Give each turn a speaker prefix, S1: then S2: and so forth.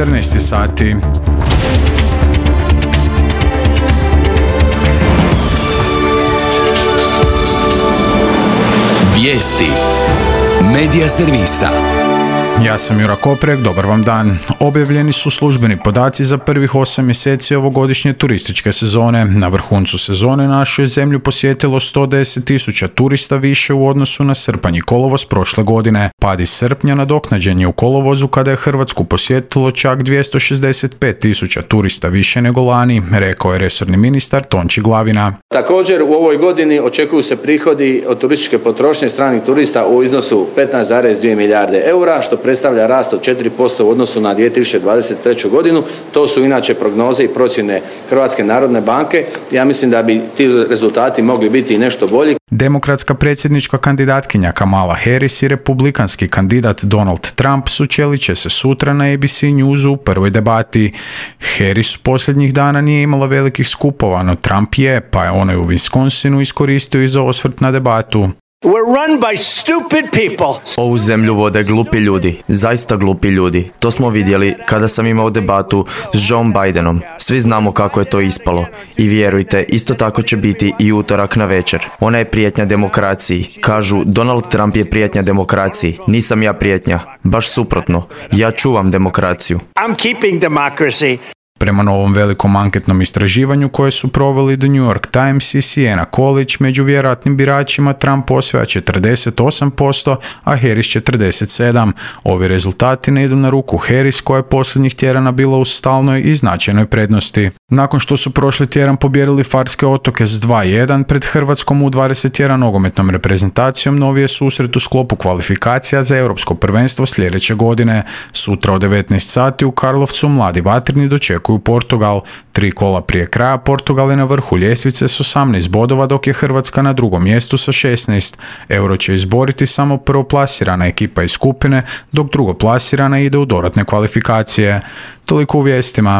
S1: 14 sati.
S2: Vijesti Medija servisa.
S1: Ja sam Jura Koprek, dobar vam dan. Objavljeni su službeni podaci za prvih 8 mjeseci ovogodišnje turističke sezone. Na vrhuncu sezone našu je zemlju posjetilo 110.000 turista više u odnosu na srpanj i kolovoz prošle godine. Pad iz srpnja nadoknađen je u kolovozu kada je Hrvatsku posjetilo čak 265.000 turista više nego lani, rekao je resorni ministar Tonči Glavina.
S3: Također u ovoj godini očekuju se prihodi od turističke potrošnje stranih turista u iznosu 15,2 milijarde eura, što predstavlja rast od 4% u odnosu na 2023. godinu. To su inače prognoze i procjene Hrvatske narodne banke. Ja mislim da bi ti rezultati mogli biti i nešto bolji.
S1: Demokratska predsjednička kandidatkinja Kamala Harris i republikanski kandidat Donald Trump sučelit će se sutra na ABC Newsu u prvoj debati. Harris posljednjih dana nije imala velikih skupova, no Trump je, pa je onaj u Wisconsinu iskoristio i za osvrt na debatu.
S4: We're run by stupid people.
S5: Ovu zemlju vode glupi ljudi, zaista glupi ljudi. To smo vidjeli kada sam imao debatu s Joe Bidenom. Svi znamo kako je to ispalo. I vjerujte, isto tako će biti i utorak na večer. Ona je prijetnja demokraciji. Kažu, Donald Trump je prijetnja demokraciji. Nisam ja prijetnja. Baš suprotno. Ja čuvam demokraciju.
S4: I'm keeping democracy.
S1: Prema novom velikom anketnom istraživanju koje su proveli The New York Times i Siena College, među vjerojatnim biračima Trump osvaja 48%, a Harris 47%. Ovi rezultati ne idu na ruku Harris, koja je posljednjih tjedana bila u stalnoj i značajnoj prednosti. Nakon što su prošli tjedan pobijedili Farske otoke s 2-1 pred Hrvatskom U21 nogometnom reprezentacijom, novi je susret u sklopu kvalifikacija za Europsko prvenstvo sljedeće godine. Sutra od 19 sati u Karlovcu mladi vatreni dočekuju Portugal. 3 kola prije kraja Portugal je na vrhu ljestvice s 18 bodova, dok je Hrvatska na drugom mjestu sa 16. Euro će izboriti samo prvoplasirana ekipa iz skupine, dok drugoplasirana ide u dodatne kvalifikacije. Toliko u vijestima.